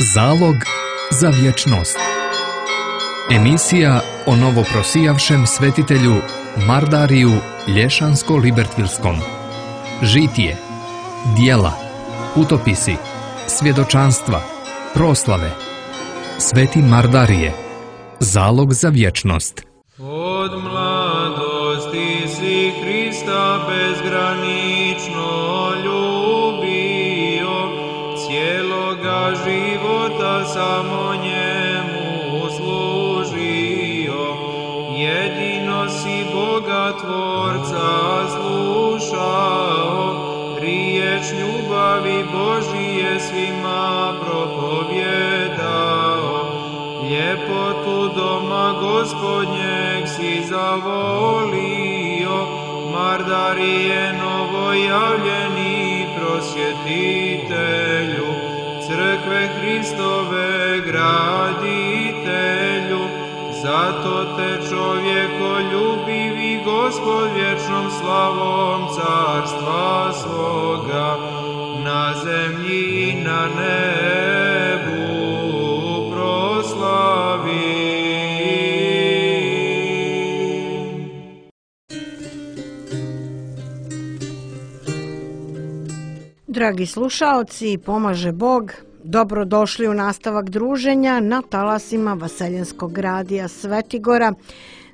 Zalog za vječnost. Emisija o novoprosijavšem svetitelju Mardariju Lješansko-Libertvilskom. Žitije, dijela, putopisi, svjedočanstva, proslave. Sveti Mardarije. Zalog za vječnost. Od mladosti si Hrista bezgranično ljubio, cijeloga života samo njemu služio. Jedino si Boga Tvorca slušao, riječ ljubavi Božije svima propovjedao. Ljepotu doma Gospodnjeg si zavolio, Mardarije novojavljeni prosvjetitelju, crkve Hristove graditelju. Zato te čovjekoljubivi Gospod vječnom slavom carstva svoga na zemlji i na nebu proslavi. Dragi slušaoci, pomaže Bog, dobrodošli u nastavak druženja na talasima Vaseljenskog radija Svetigora.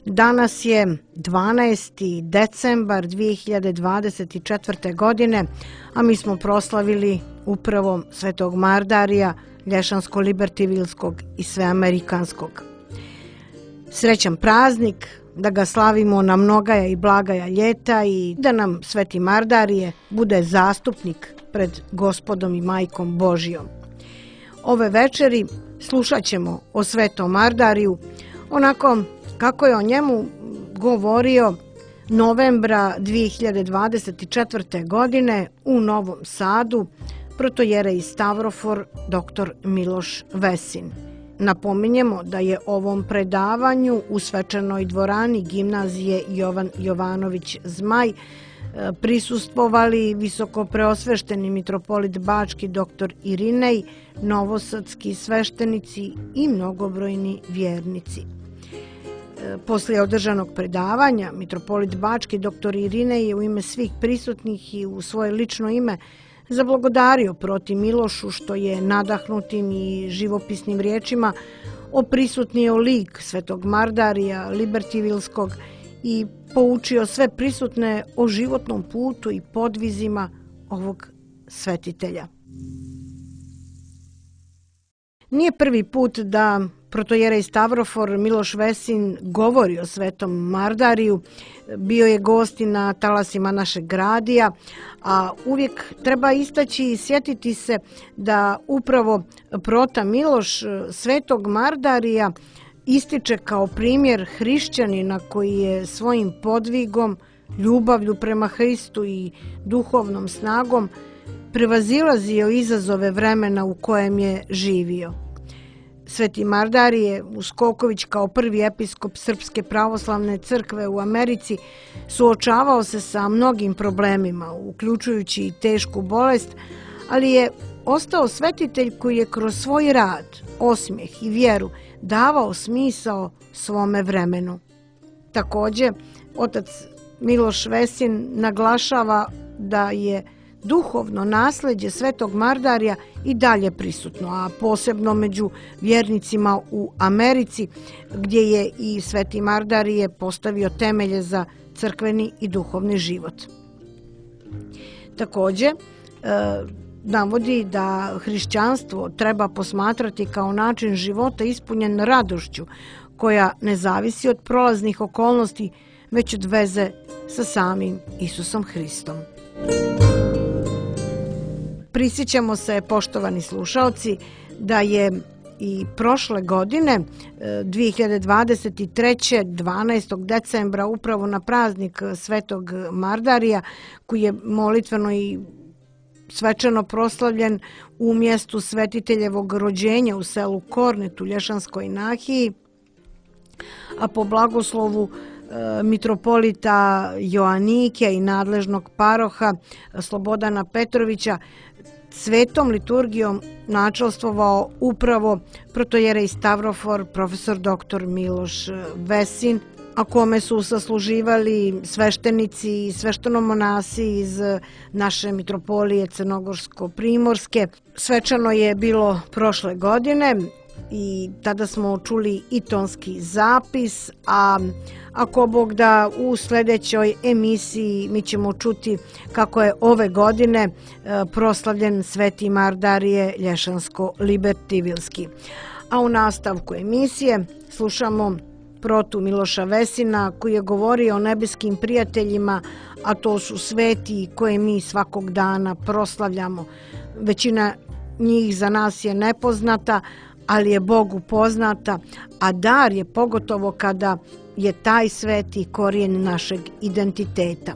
Danas je 12. decembar 2024. godine, a mi smo proslavili upravo Svetog Mardarija, Lješansko-Libertvilskog i Sveamerikanskog. Srećan praznik, da ga slavimo na mnogaja i blagaja ljeta i da nam Sveti Mardarije bude zastupnik pred Gospodom i Majkom Božijom. Ove večeri slušat ćemo o Svetom Mardariju, onako kako je o njemu govorio novembra 2024. godine u Novom Sadu protojerej Stavrofor dr. Miloš Vesin. Napominjemo da je ovom predavanju u svečanoj dvorani gimnazije Jovan Jovanović Zmaj prisustvovali visokopreosvešteni mitropolit Bački dr. Irinej, novosadski sveštenici i mnogobrojni vjernici. Poslije održanog predavanja, mitropolit Bački dr. Irinej je u ime svih prisutnih i u svoje lično ime zablagodario proti Milošu što je nadahnutim i živopisnim riječima oprisutnio lik Svetog Mardarija Libertvilskog i poučio sve prisutne o životnom putu i podvizima ovog svetitelja. Nije prvi put da protojerej Stavrofor Miloš Vesin govori o Svetom Mardariju. Bio je gost na talasima našeg radija, a uvijek treba istaći i sjetiti se da upravo prota Miloš Svetog Mardarija ističe kao primjer hrišćanina koji je svojim podvigom, ljubavlju prema Hristu i duhovnom snagom prevazilazio izazove vremena u kojem je živio. Sveti Mardarije Uskoković kao prvi episkop Srpske pravoslavne crkve u Americi suočavao se sa mnogim problemima, uključujući i tešku bolest, ali je ostao svetitelj koji je kroz svoj rad, osmijeh i vjeru davao smisao svome vremenu. Također, otac Miloš Vesin naglašava da je duhovno nasljeđe Svetog Mardarija i dalje prisutno, a posebno među vjernicima u Americi, gdje je i Sveti Mardarije postavio temelje za crkveni i duhovni život. Također, navodi da hrišćanstvo treba posmatrati kao način života ispunjen radošću, koja ne zavisi od prolaznih okolnosti, već od veze sa samim Isusom Hristom. Prisjećamo se, poštovani slušaoci, da je i prošle godine, 2023. 12. decembra, upravo na praznik Svetog Mardarija, koji je molitveno i svečano proslavljen u mjestu svetiteljevog rođenja u selu Kornet u Lješanskoj nahiji, a po blagoslovu mitropolita Joanike i nadležnog paroha Slobodana Petrovića, svetom liturgijom načelstvovao upravo protojerej Stavrofor, profesor dr. Miloš Vesin, a kome su sasluživali sveštenici i sveštenomonasi iz naše mitropolije Crnogorsko-primorske. Svečano je bilo prošle godine i tada smo čuli i tonski zapis, a ako Bog da u sljedećoj emisiji mi ćemo čuti kako je ove godine proslavljen Sveti Mardarije Lješansko-Libertivilski. A u nastavku emisije slušamo protu Miloša Vesina koji je govorio o nebeskim prijateljima, a to su sveti koje mi svakog dana proslavljamo. Većina njih za nas je nepoznata, ali je Bogu poznata, a dar je pogotovo kada je taj sveti korijen našeg identiteta.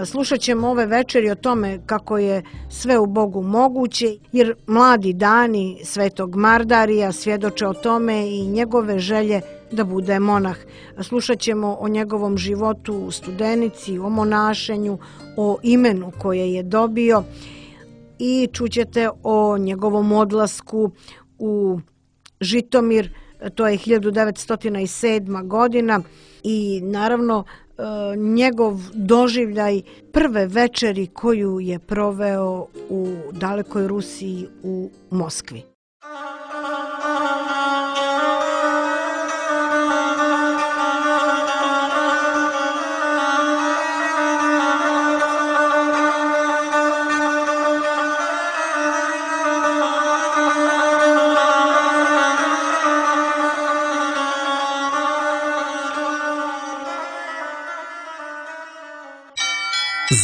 Slušat ćemo ove večeri o tome kako je sve u Bogu moguće, jer mladi dani Svetog Mardarija svjedoče o tome i njegove želje da bude monah. Slušat ćemo o njegovom životu u Studenici, o monašenju, o imenu koje je dobio i čućete o njegovom odlasku u Žitomir, to je 1907. godina i naravno njegov doživljaj prve večeri koju je proveo u dalekoj Rusiji u Moskvi.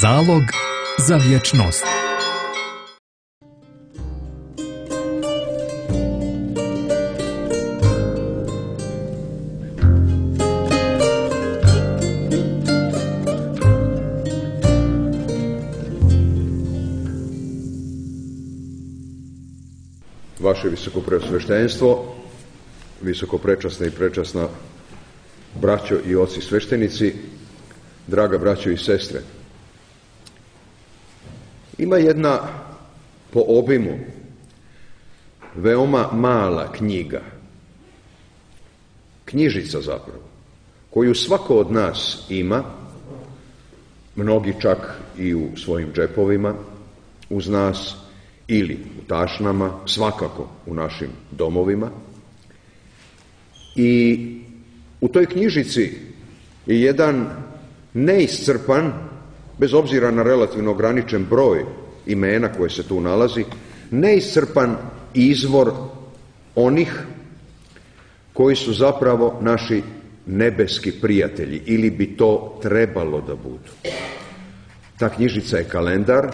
Zalog za vječnost. Vaše visokopreosveštenstvo, visokoprečasna i prečasna braćo i oci sveštenici, draga braćo i sestre, ima jedna po obimu veoma mala knjiga, knjižica zapravo, koju svako od nas ima, mnogi čak i u svojim džepovima, uz nas ili u tašnama, svakako u našim domovima. I u toj knjižici je jedan neiscrpan, bez obzira na relativno ograničen broj imena koje se tu nalazi, neiscrpan izvor onih koji su zapravo naši nebeski prijatelji, ili bi to trebalo da budu. Ta knjižica je kalendar,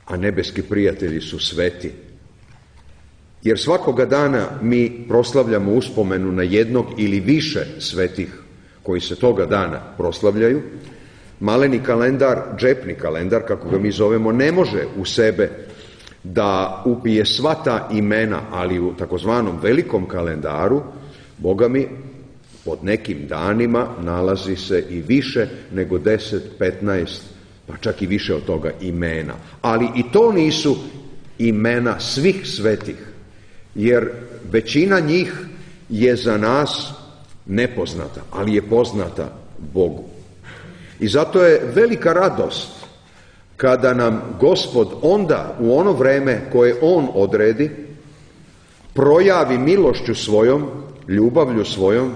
a nebeski prijatelji su sveti. Jer svakoga dana mi proslavljamo uspomenu na jednog ili više svetih koji se toga dana proslavljaju. Maleni kalendar, džepni kalendar, kako ga mi zovemo, ne može u sebe da upije sva ta imena, ali u takozvanom velikom kalendaru, Boga mi, pod nekim danima nalazi se i više nego 10, 15, pa čak i više od toga imena. Ali i to nisu imena svih svetih, jer većina njih je za nas nepoznata, ali je poznata Bogu. I zato je velika radost kada nam Gospod onda u ono vreme koje On odredi projavi milošću svojom, ljubavlju svojom,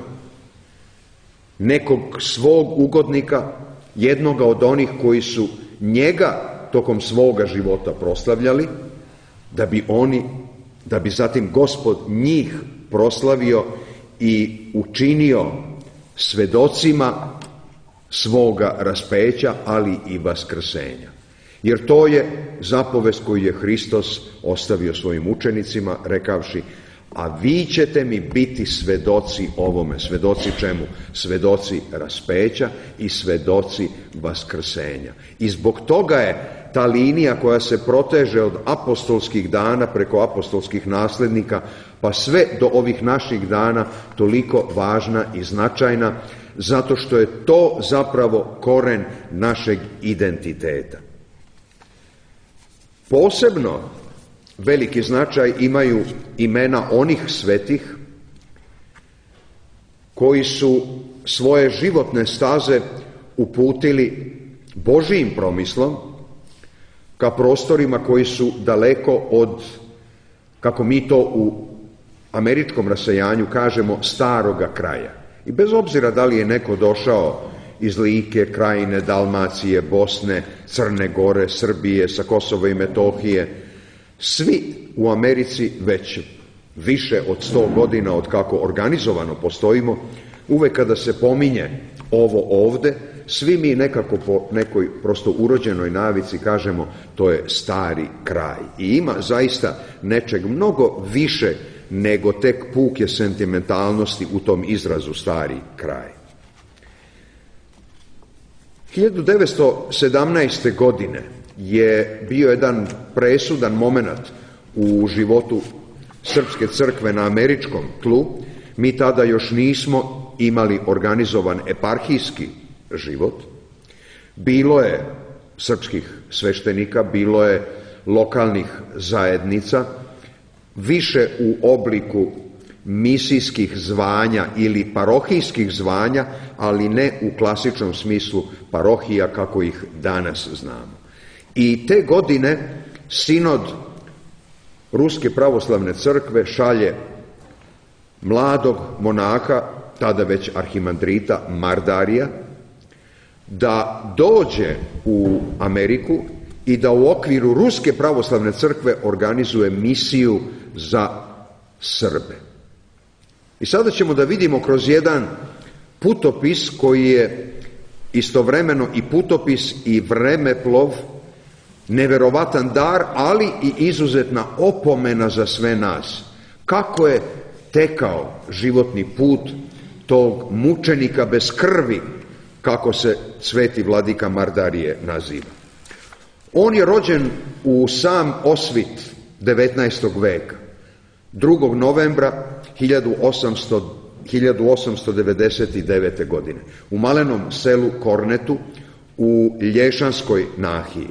nekog svog ugodnika, jednoga od onih koji su njega tokom svoga života proslavljali, da bi zatim Gospod njih proslavio i učinio svedocima svoga raspeća, ali i vaskrsenja. Jer to je zapovest koju je Hristos ostavio svojim učenicima, rekavši: a vi ćete mi biti svedoci ovome. Svedoci čemu? Svedoci raspeća i svedoci vaskrsenja. I zbog toga je ta linija koja se proteže od apostolskih dana preko apostolskih naslednika pa sve do ovih naših dana toliko važna i značajna, zato što je to zapravo koren našeg identiteta. Posebno veliki značaj imaju imena onih svetih koji su svoje životne staze uputili Božijim promislom ka prostorima koji su daleko od, kako mi to u američkom rasejanju kažemo, staroga kraja. I bez obzira da li je neko došao iz Like, Krajine, Dalmacije, Bosne, Crne Gore, Srbije, sa Kosova i Metohije, svi u Americi već više od 100 godina od kako organizovano postojimo, uvek kada se pominje ovo ovde, svi mi nekako po nekoj prosto urođenoj navici kažemo to je stari kraj. I ima zaista nečeg mnogo više nego tek puke sentimentalnosti u tom izrazu stari kraj. 1917. godine je bio jedan presudan moment u životu Srpske crkve na američkom tlu. Mi tada još nismo imali organizovan eparhijski život. Bilo je srpskih sveštenika, bilo je lokalnih zajednica, više u obliku misijskih zvanja ili parohijskih zvanja, ali ne u klasičnom smislu parohija kako ih danas znamo. I te godine sinod Ruske pravoslavne crkve šalje mladog monaha, tada već arhimandrita Mardarija, da dođe u Ameriku i da u okviru Ruske pravoslavne crkve organizuje misiju za Srbe. I sada ćemo da vidimo kroz jedan putopis koji je istovremeno i putopis i vremeplov, neverovatan dar, ali i izuzetna opomena za sve nas. Kako je tekao životni put tog mučenika bez krvi, kako se sveti vladika Mardarije naziva. On je rođen u sam osvit 19. veka, 2. novembra 1899. godine, u malenom selu Kornetu u Lješanskoj nahiji.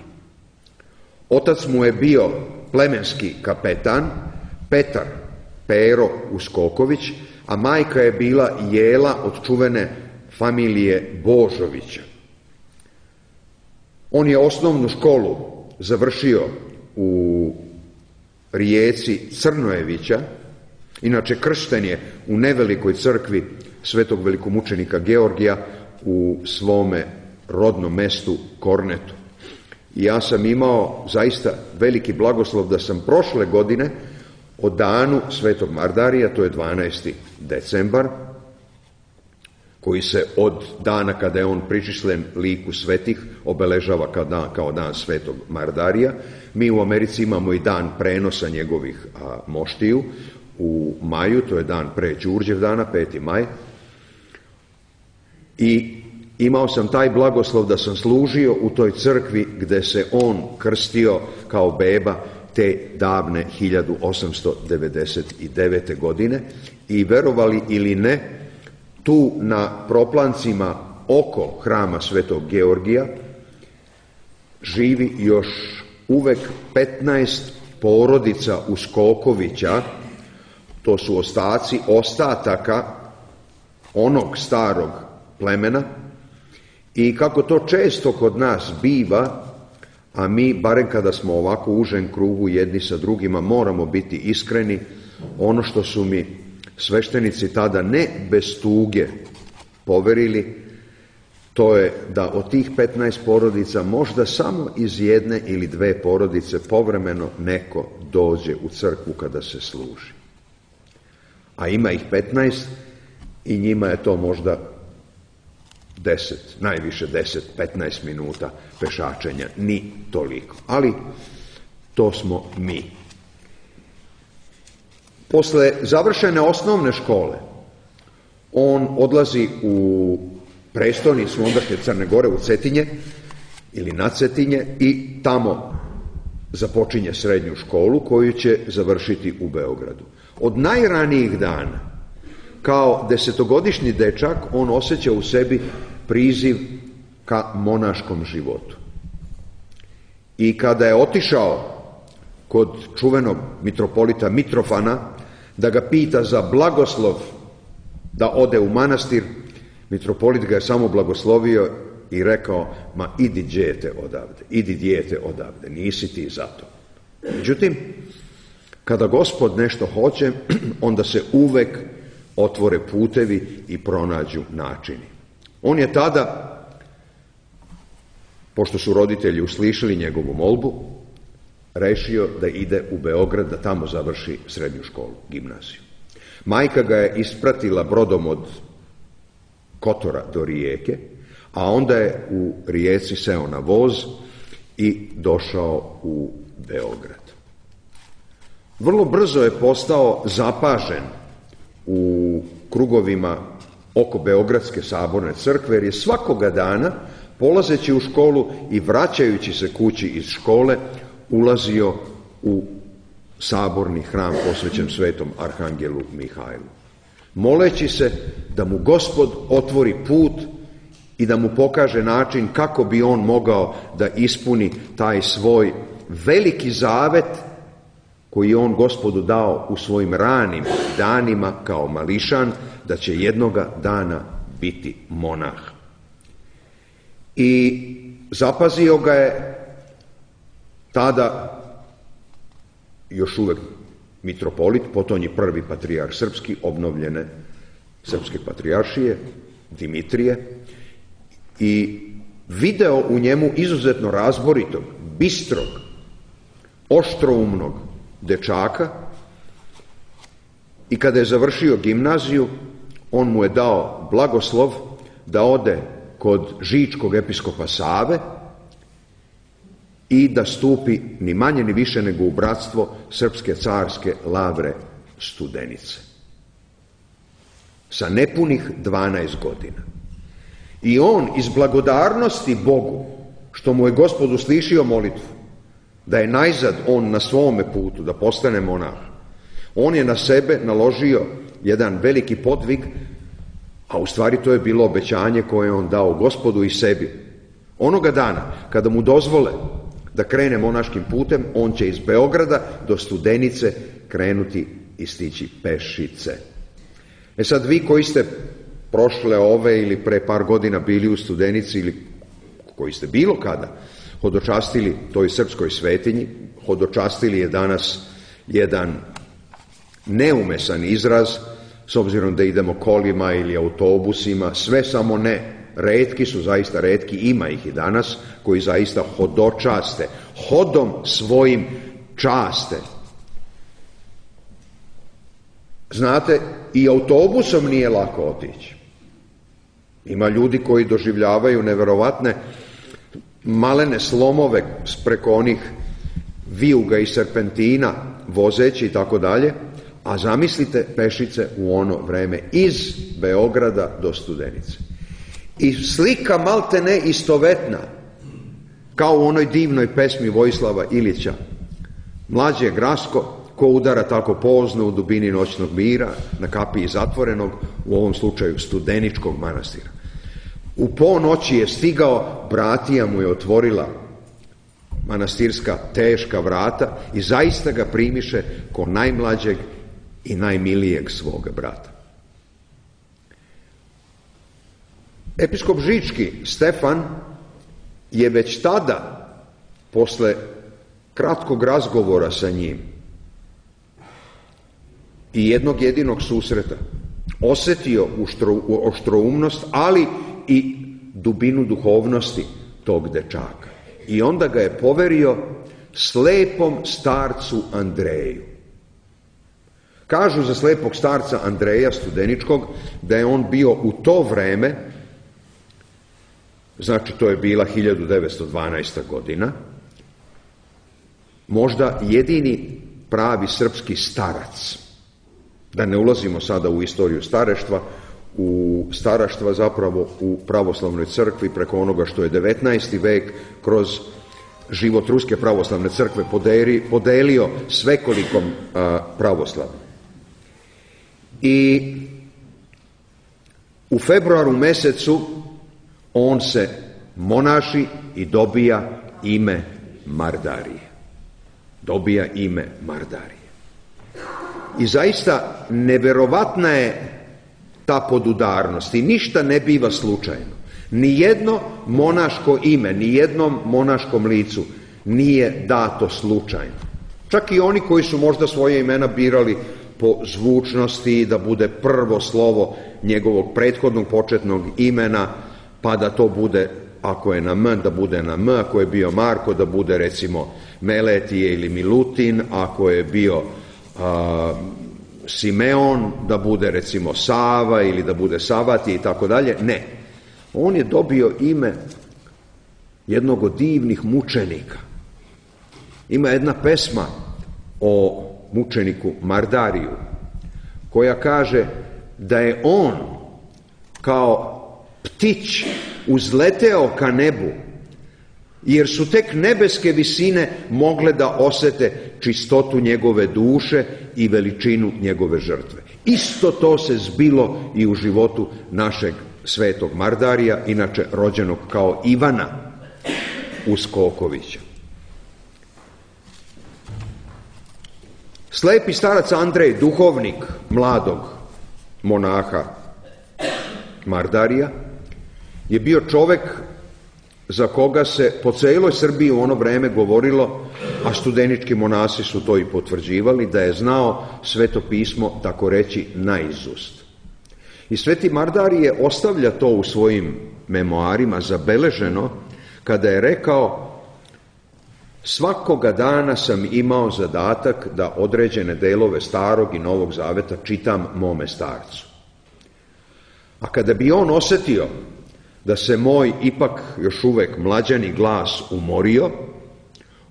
Otac mu je bio plemenski kapetan Petar Pero Uskoković, a majka je bila Jela od čuvene familije Božovića. On je osnovnu školu završio u Rijeci Crnojevića, inače kršten je u nevelikoj crkvi svetog velikomučenika Georgija u svome rodnom mestu Kornetu. I ja sam imao zaista veliki blagoslov da sam prošle godine o danu svetog Mardarija, to je 12. decembar, koji se od dana kada je on pričišljen liku svetih obeležava kao dan svetog Mardarija. Mi u Americi imamo i dan prenosa njegovih moštiju u maju, to je dan pre Đurđev dana, 5. maj. I imao sam taj blagoslov da sam služio u toj crkvi gde se on krstio kao beba te davne 1899. godine i verovali ili ne, tu na proplancima oko hrama svetog Georgija živi još uvek 15 porodica Uskokovića, to su ostaci ostataka onog starog plemena. I kako to često kod nas biva, a mi, barem kada smo ovako u užem krugu jedni sa drugima, moramo biti iskreni, ono što su mi sveštenici tada ne bez tuge poverili, to je da od tih 15 porodica možda samo iz jedne ili dve porodice povremeno neko dođe u crkvu kada se služi. A ima ih 15 i njima je to možda 10, najviše 10-15 minuta pešačenja, ni toliko. Ali to smo mi. Posle završene osnovne škole, on odlazi u prestonicu ondašnje Crne Gore, u Cetinje ili na Cetinje, i tamo započinje srednju školu koju će završiti u Beogradu. Od najranijih dana, kao 10-godišnji dečak, on osjeća u sebi priziv ka monaškom životu. I kada je otišao kod čuvenog mitropolita Mitrofana da ga pita za blagoslov da ode u manastir. Mitropolit ga je samo blagoslovio i rekao: ma idi dijete odavde, nisi ti za to. Međutim, kada Gospod nešto hoće, onda se uvek otvore putevi i pronađu načini. On je tada, pošto su roditelji uslišili njegovu molbu, rešio da ide u Beograd, da tamo završi srednju školu, gimnaziju. Majka ga je ispratila brodom od Kotora do Rijeke, a onda je u Rijeci seo na voz i došao u Beograd. Vrlo brzo je postao zapažen u krugovima oko Beogradske saborne crkve, jer je svakoga dana, polazeći u školu i vraćajući se kući iz škole, ulazio u saborni hram posvećen svetom arhangelu Mihajlu, moleći se da mu Gospod otvori put i da mu pokaže način kako bi on mogao da ispuni taj svoj veliki zavet koji je on Gospodu dao u svojim ranim danima kao mališan, da će jednoga dana biti monah. I zapazio ga je tada još uvek mitropolit, potom je prvi patrijarh srpski, obnovljene srpske patrijaršije, Dimitrije, i video u njemu izuzetno razboritog, bistrog, oštroumnog dečaka, i kada je završio gimnaziju, on mu je dao blagoslov da ode kod žičkog episkopa Save i da stupi ni manje ni više nego u bratstvo Srpske carske Lavre Studenice. Sa nepunih 12 godina. I on iz blagodarnosti Bogu, što mu je Gospod uslišio molitvu, da je najzad on na svome putu, da postane monah, on je na sebe naložio jedan veliki podvig, a u stvari to je bilo obećanje koje je on dao Gospodu i sebi. Onoga dana, kada mu dozvole da krene monaškim putem, on će iz Beograda do Studenice krenuti i stići pešice. Sad vi koji ste prošle ove ili pre par godina bili u Studenici, ili koji ste bilo kada hodočastili toj srpskoj svetinji, hodočastili je danas jedan neumesan izraz, s obzirom da idemo kolima ili autobusima, sve samo ne. Retki su, zaista retki, ima ih i danas, koji zaista hodočaste, hodom svojim časte. Znate, i autobusom nije lako otići. Ima ljudi koji doživljavaju neverovatne malene slomove preko onih vijuga i serpentina, vozeći i tako dalje, a zamislite pešice u ono vreme iz Beograda do Studenice. I slika malte ne istovetna, kao u onoj divnoj pesmi Vojislava Ilića, mlađe grasko, ko udara tako pozno u dubini noćnog mira, na kapiji zatvorenog, u ovom slučaju Studeničkog manastira. U ponoći je stigao, bratija mu je otvorila manastirska teška vrata i zaista ga primiše ko najmlađeg i najmilijeg svoga brata. Episkop Žički Stefan je već tada, posle kratkog razgovora sa njim i jednog jedinog susreta, osetio oštroumnost, ali i dubinu duhovnosti tog dečaka. I onda ga je poverio slepom starcu Andreju. Kažu za slepog starca Andreja Studeničkog da je on bio u to vreme, znači to je bila 1912. godina, možda jedini pravi srpski starac. Da ne ulazimo sada u istoriju staraštva zapravo u pravoslavnoj crkvi, preko onoga što je 19. vek kroz život Ruske pravoslavne crkve podelio svekolikom pravoslavlju. I u februaru mesecu on se monaši i dobija ime Mardarije. dobija ime Mardarije. I zaista neverovatna je ta podudarnost i ništa ne biva slučajno. Nijedno monaško ime, nijednom monaškom licu nije dato slučajno. Čak i oni koji su možda svoje imena birali po zvučnosti, da bude prvo slovo njegovog prethodnog početnog imena, pa da to bude, ako je na M, da bude na M, ako je bio Marko, da bude recimo Meletije ili Milutin, ako je bio Simeon, da bude recimo Sava ili da bude Savati i tako dalje. Ne. On je dobio ime jednog od divnih mučenika. Ima jedna pesma o mučeniku Mardariju koja kaže da je on kao ptić uzleteo ka nebu, jer su tek nebeske visine mogle da osete čistotu njegove duše i veličinu njegove žrtve. Isto to se zbilo i u životu našeg svetog Mardarija, inače rođenog kao Ivana Uskokovića. Slepi starac Andrej, duhovnik mladog monaha Mardarija, je bio čovek za koga se po celoj Srbiji u ono vreme govorilo, a studenički monasi su to i potvrđivali, da je znao Sveto pismo, tako reći, naizust. I sveti Mardarije ostavlja to u svojim memoarima zabeleženo kada je rekao: svakoga dana sam imao zadatak da određene delove Starog i Novog Zaveta čitam mome starcu. A kada bi on osetio da se moj ipak još uvek mlađani glas umorio,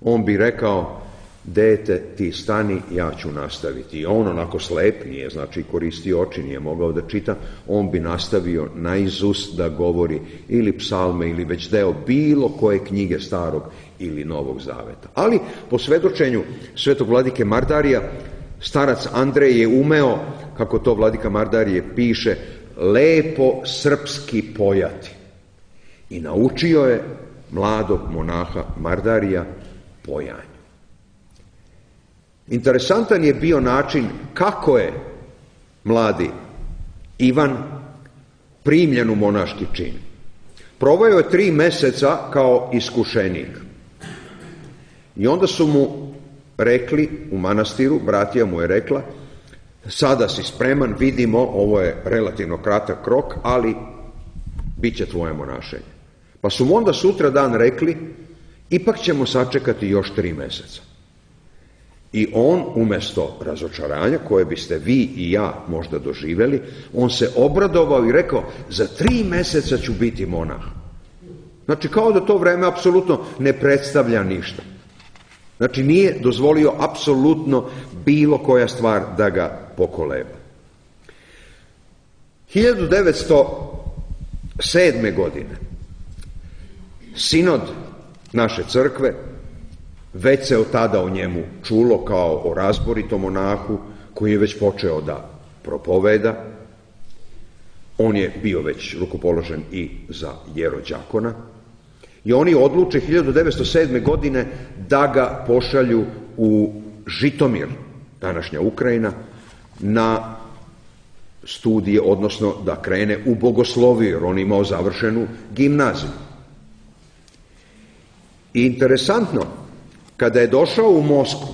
on bi rekao: dete, ti stani, ja ću nastaviti. I on onako slep, nije znači koristio oči, nije mogao da čita, on bi nastavio naizust da govori ili psalme ili već deo bilo koje knjige Starog ili Novog Zaveta. Ali po svedočenju svetog vladike Mardarija, starac Andrej je umeo, kako to vladika Mardarije piše, lepo srpski pojati. I naučio je mladog monaha Mardarija pojanju. Interesantan je bio način kako je mladi Ivan primljen u monaški čin. Proveo je 3 meseca kao iskušenik. I onda su mu rekli u manastiru, bratija mu je rekla: sada si spreman, vidimo, ovo je relativno kratak rok, ali bit će tvoje monašenje. Pa su mu onda sutra dan rekli: ipak ćemo sačekati još 3 meseca. I on, umesto razočaranja, koje biste vi i ja možda doživeli, on se obradovao i rekao: za 3 meseca ću biti monah. Znači, kao da to vreme apsolutno ne predstavlja ništa. Znači, nije dozvolio apsolutno bilo koja stvar da ga pokoleba. 1907. godine sinod naše crkve, već se od tada o njemu čulo kao o razboritom monahu koji je već počeo da propoveda. On je bio već rukopoložen i za jerođakona. I oni odluče 1907. godine da ga pošalju u Žitomir, današnja Ukrajina, na studije, odnosno da krene u bogosloviju, jer on imao završenu gimnaziju. I interesantno, kada je došao u Moskvu,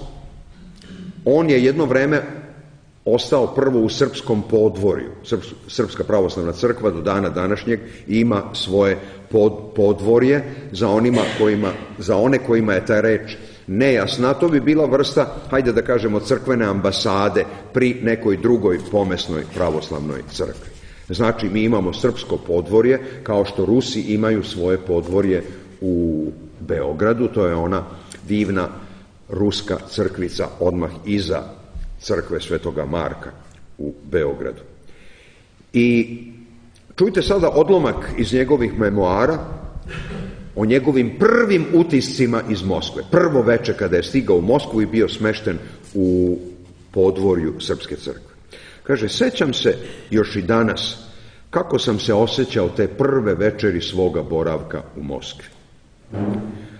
on je jedno vreme ostao prvo u srpskom podvorju. Srpska pravoslavna crkva do dana današnjeg ima svoje podvorje za one kojima je ta reč nejasna. To bi bila vrsta, hajde da kažemo, crkvene ambasade pri nekoj drugoj pomesnoj pravoslavnoj crkvi. Znači, mi imamo srpsko podvorje, kao što Rusi imaju svoje podvorje u Beogradu, to je ona divna ruska crkvica odmah iza crkve Svetoga Marka u Beogradu. I čujte sada odlomak iz njegovih memoara o njegovim prvim utiscima iz Moskve. Prvo veče kada je stigao u Moskvu i bio smešten u podvorju Srpske crkve. Kaže: sećam se još i danas kako sam se osjećao te prve večeri svoga boravka u Moskvi.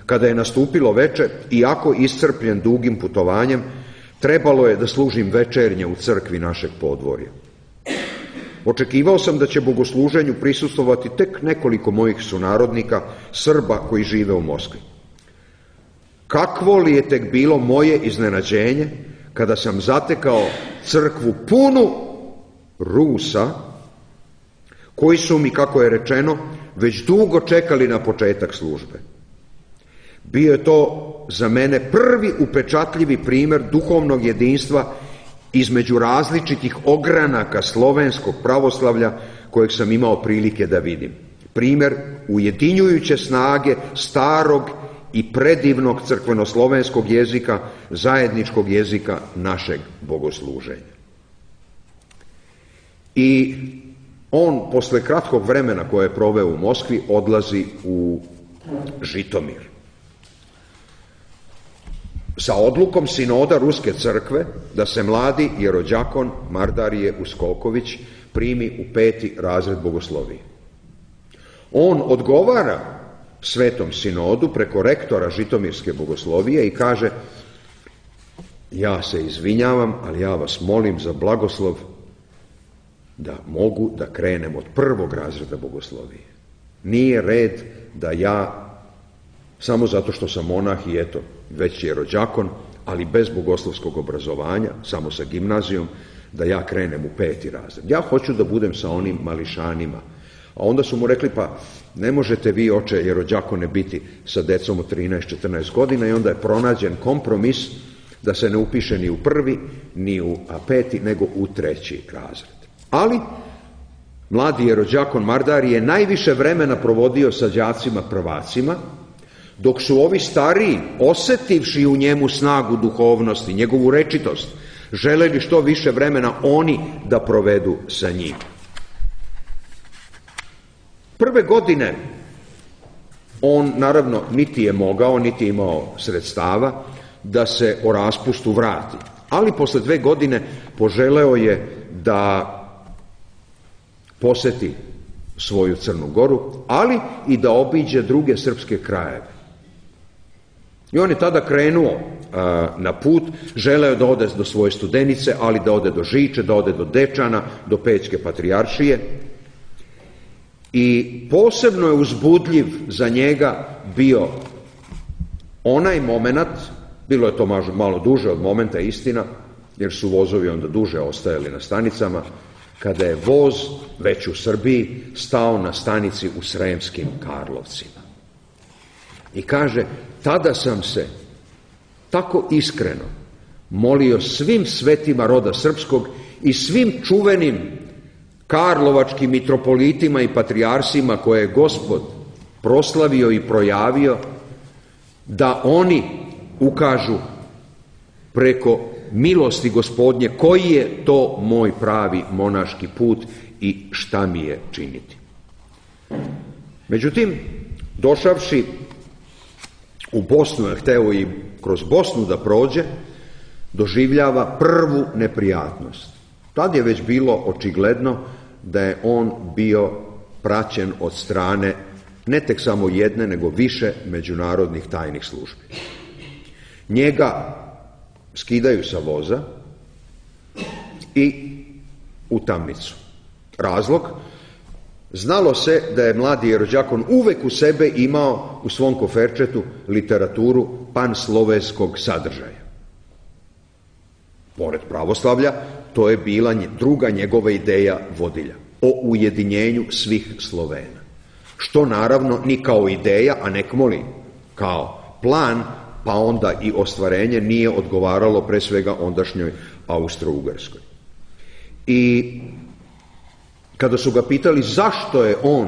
Kada je nastupilo veče, iako iscrpljen dugim putovanjem, trebalo je da služim večernje u crkvi našeg podvorja. Očekivao sam da će bogosluženju prisustvovati tek nekoliko mojih sunarodnika, Srba koji žive u Moskvi. Kakvo li je tek bilo moje iznenađenje kada sam zatekao crkvu punu Rusa, koji su mi, kako je rečeno, već dugo čekali na početak službe. Bio je to za mene prvi upečatljivi primjer duhovnog jedinstva između različitih ogranaka slovenskog pravoslavlja kojeg sam imao prilike da vidim. Primjer ujedinjujuće snage starog i predivnog crkvenoslovenskog jezika, zajedničkog jezika našeg bogosluženja. I on, posle kratkog vremena koje je proveo u Moskvi, odlazi u Žitomir. Sa odlukom sinoda Ruske crkve da se mladi jerođakon Mardarije Uskoković primi u 5. razred bogoslovije. On odgovara Svetom sinodu preko rektora Žitomirske bogoslovije i kaže: ja se izvinjavam, ali ja vas molim za blagoslov da mogu da krenem od 1. razreda bogoslovije. Nije red da ja, samo zato što sam monah i eto, već je rođakon, ali bez bogoslovskog obrazovanja, samo sa gimnazijom, da ja krenem u 5. razred. Ja hoću da budem sa onim mališanima. A onda su mu rekli: pa ne možete vi, oče jerođakone, biti sa decom od 13-14 godina, i onda je pronađen kompromis da se ne upiše ni u 1. ni u 5. nego u 3. razred. Ali mladi jerođakon Mardarije je najviše vremena provodio sa đacima prvacima, dok su ovi stariji, osetivši u njemu snagu duhovnosti, njegovu rečitost, želeli što više vremena oni da provedu sa njim. Prve godine on, naravno, niti je mogao, niti je imao sredstava da se o raspustu vrati. Ali posle 2 godine poželeo je da poseti svoju Crnu Goru, ali i da obiđe druge srpske krajeve. I on je tada krenuo na put, želeo da ode do svoje Studenice, ali da ode do Žiče, da ode do Dečana, do Pećke patrijaršije. I posebno je uzbudljiv za njega bio onaj moment, bilo je to malo duže od momenta, istina, jer su vozovi onda duže ostajali na stanicama, kada je voz, već u Srbiji, stao na stanici u Sremskim Karlovcima. I kaže: tada sam se tako iskreno molio svim svetima roda srpskog i svim čuvenim karlovačkim mitropolitima i patrijarsima koje je Gospod proslavio i projavio, da oni ukažu preko milosti Gospodnje koji je to moj pravi monaški put i šta mi je činiti. Međutim, došavši u Bosnu, je hteo i kroz Bosnu da prođe, doživljava prvu neprijatnost. Tad je već bilo očigledno da je on bio praćen od strane ne tek samo jedne, nego više međunarodnih tajnih službi. Njega skidaju sa voza i u tamnicu. Razlog? Znalo se da je mladi jerođakon uvek u sebe imao u svom koferčetu literaturu panslovenskog sadržaja. Pored pravoslavlja, to je bila druga njegova ideja vodilja, o ujedinjenju svih Slovena. Što naravno ni kao ideja, a nekmoli kao plan, pa onda i ostvarenje, nije odgovaralo pre svega ondašnjoj Austro-Ugarskoj. I kada su ga pitali zašto je on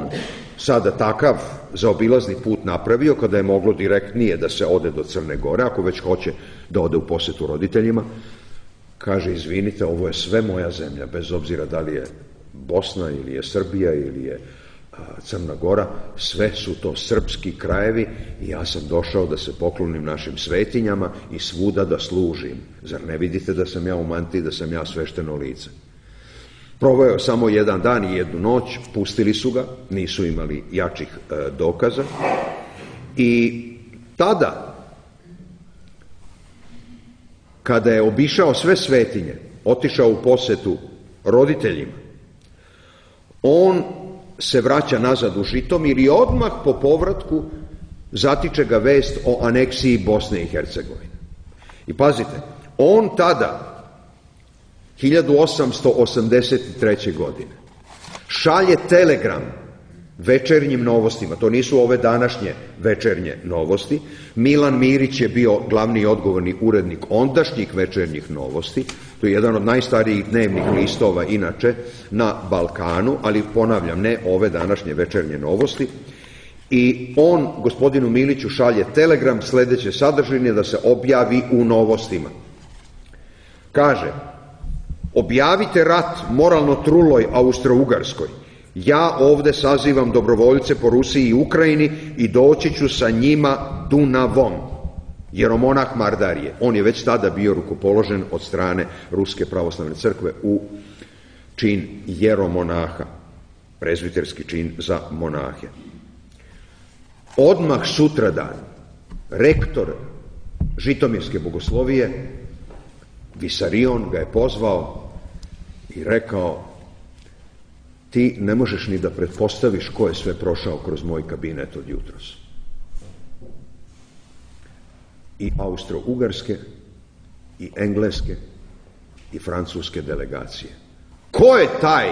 sada takav zaobilazni put napravio, kada je moglo direktnije da se ode do Crne Gore, ako već hoće da ode u posetu roditeljima, kaže: izvinite, ovo je sve moja zemlja, bez obzira da li je Bosna ili je Srbija ili je Crna Gora, sve su to srpski krajevi i ja sam došao da se poklonim našim svetinjama i svuda da služim. Zar ne vidite da sam ja u mantiji, da sam ja svešteno lice? Proveo samo 1 dan i 1 noć, pustili su ga, nisu imali jačih dokaza i tada, kada je obišao sve svetinje, otišao u posetu roditeljima, on se vraća nazad u Žitomir i odmah po povratku zatiče ga vest o aneksiji Bosne i Hercegovine. I pazite, on tada, 1883. godine, šalje telegram Večernjim novostima, to nisu ove današnje Večernje novosti. Milan Mirić je bio glavni i odgovorni urednik ondašnjih Večernjih novosti, to je jedan od najstarijih dnevnih listova inače na Balkanu, ali ponavljam, ne ove današnje Večernje novosti. I on gospodinu Miliću šalje telegram sledeće sadržine da se objavi u novostima. Kaže: objavite rat moralno truloj Austro-Ugarskoj. Ja ovde sazivam dobrovoljce po Rusiji i Ukrajini i doći ću sa njima Dunavom. Jeromonah Mardarije. On je već tada bio rukopoložen od strane Ruske pravoslavne crkve u čin jeromonaha, prezbiterski čin za monahe. Odmah sutradan rektor Žitomirske bogoslovije Visarion ga je pozvao i rekao: ti ne možeš ni da pretpostaviš ko je sve prošao kroz moj kabinet od jutros. I austro-ugarske, i engleske, i francuske delegacije. Ko je taj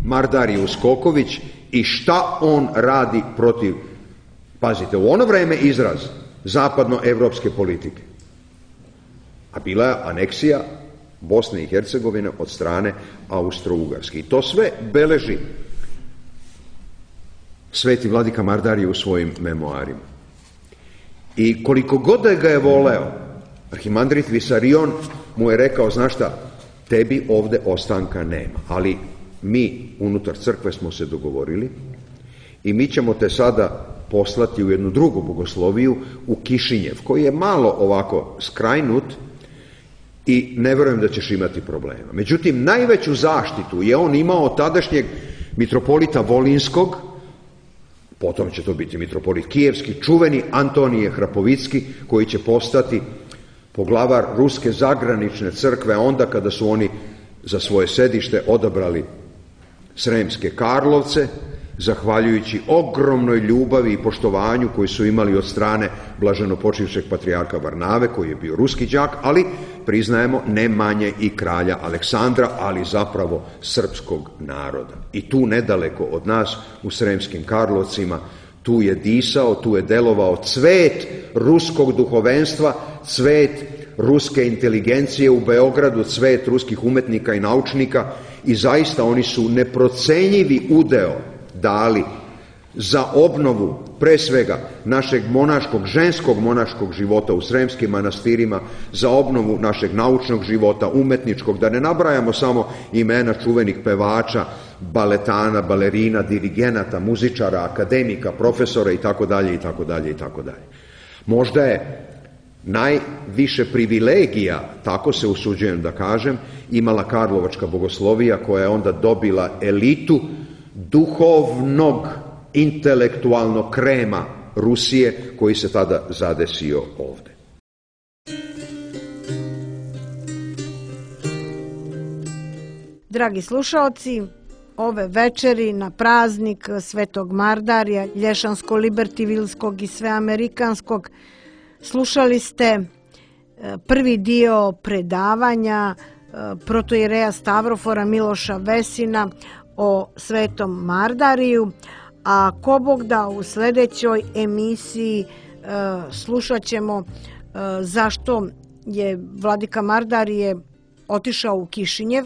Mardarijus Koković i šta on radi protiv, pazite, u ono vreme izraz zapadnoevropske politike, a bila je aneksija Bosne i Hercegovine od strane Austro-Ugarske. I to sve beleži sveti vladika Mardarije u svojim memoarima. I koliko god da ga je voleo, arhimandrit Visarion mu je rekao: znaš šta, tebi ovde ostanka nema, ali mi unutar crkve smo se dogovorili i mi ćemo te sada poslati u jednu drugu bogosloviju, u Kišinjev, koji je malo ovako skrajnut i ne verujem da ćeš imati problema. Međutim, najveću zaštitu je on imao od tadašnjeg mitropolita Volinskog, potom će to biti mitropolit Kijevski, čuveni Antonije Hrapovicki, koji će postati poglavar Ruske zagranične crkve onda kada su oni za svoje sedište odabrali Sremske Karlovce, zahvaljujući ogromnoj ljubavi i poštovanju koji su imali od strane blaženopočivšeg patrijarha Varnave, koji je bio ruski đak, ali priznajemo ne manje i kralja Aleksandra, ali zapravo srpskog naroda. I tu nedaleko od nas, u Sremskim Karlovcima, tu je disao, tu je delovao cvet ruskog duhovenstva, cvet ruske inteligencije u Beogradu, cvet ruskih umetnika i naučnika, i zaista oni su neprocenjivi udeo dali za obnovu, pre svega, našeg monaškog, ženskog monaškog života u Sremskim manastirima, za obnovu našeg naučnog života, umetničkog, da ne nabrajamo samo imena čuvenih pevača, baletana, balerina, dirigenata, muzičara, akademika, profesora itd. itd. Možda je najviše privilegija, tako se usuđujem da kažem, imala Karlovačka bogoslovija, koja je onda dobila elitu duhovnog, intelektualnog krema Rusije, koji se tada zadesio ovde. Dragi slušaoci, ove večeri na praznik Svetog Mardarija, Lješansko-Libertivilskog i Sveamerikanskog, slušali ste prvi dio predavanja protoijereja Stavrofora Miloša Vesina o Svetom Mardariju, a ko Bog da u sledećoj emisiji slušat ćemo zašto je vladika Mardarije otišao u Kišinjev,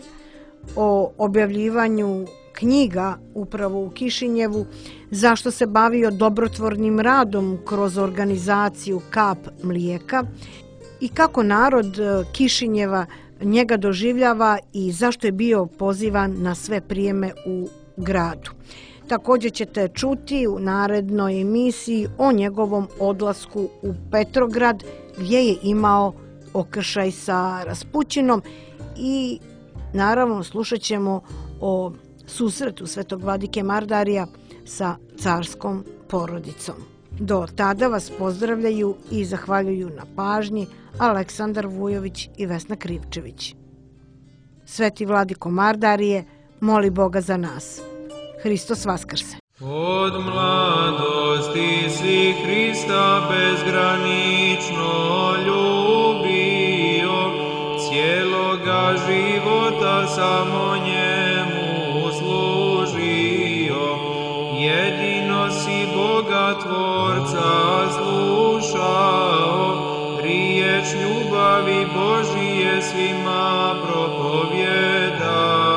o objavljivanju knjiga upravo u Kišinjevu, zašto se bavio dobrotvornim radom kroz organizaciju Kap mlijeka i kako narod Kišinjeva njega doživljava i zašto je bio pozivan na sve prijeme u gradu. Također ćete čuti u narednoj emisiji o njegovom odlasku u Petrograd, gdje je imao okršaj sa Raspućinom, i naravno slušat ćemo o susretu svetog vladike Mardarija sa carskom porodicom. Do tada vas pozdravljaju i zahvaljuju na pažnji Aleksandar Vujović i Vesna Krivčević. Sveti Vladiko Mardarije, moli Boga za nas. Hristos Vaskrse. Od mladosti si Hrista bezgranično ljubio, cijeloga života samo njemu služio. Jedino si Boga Tvorca slušao, riječ ljubavi Božije svima propovjedao.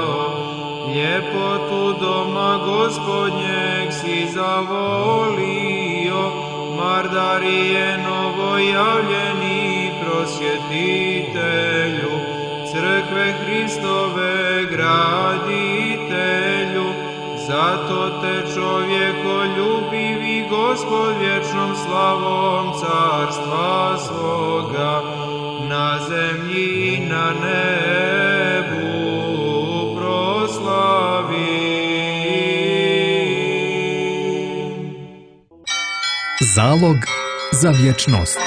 Ljepotu doma Gospodnjeg si zavolio, Mardarije novojavljeni prosvjetitelju, crkve Hristove graditelju. Zato te čovjekoljubivi Gospod vječnom slavom carstva svoga, na zemlji i na nebu proslavi. Zalog za vječnost.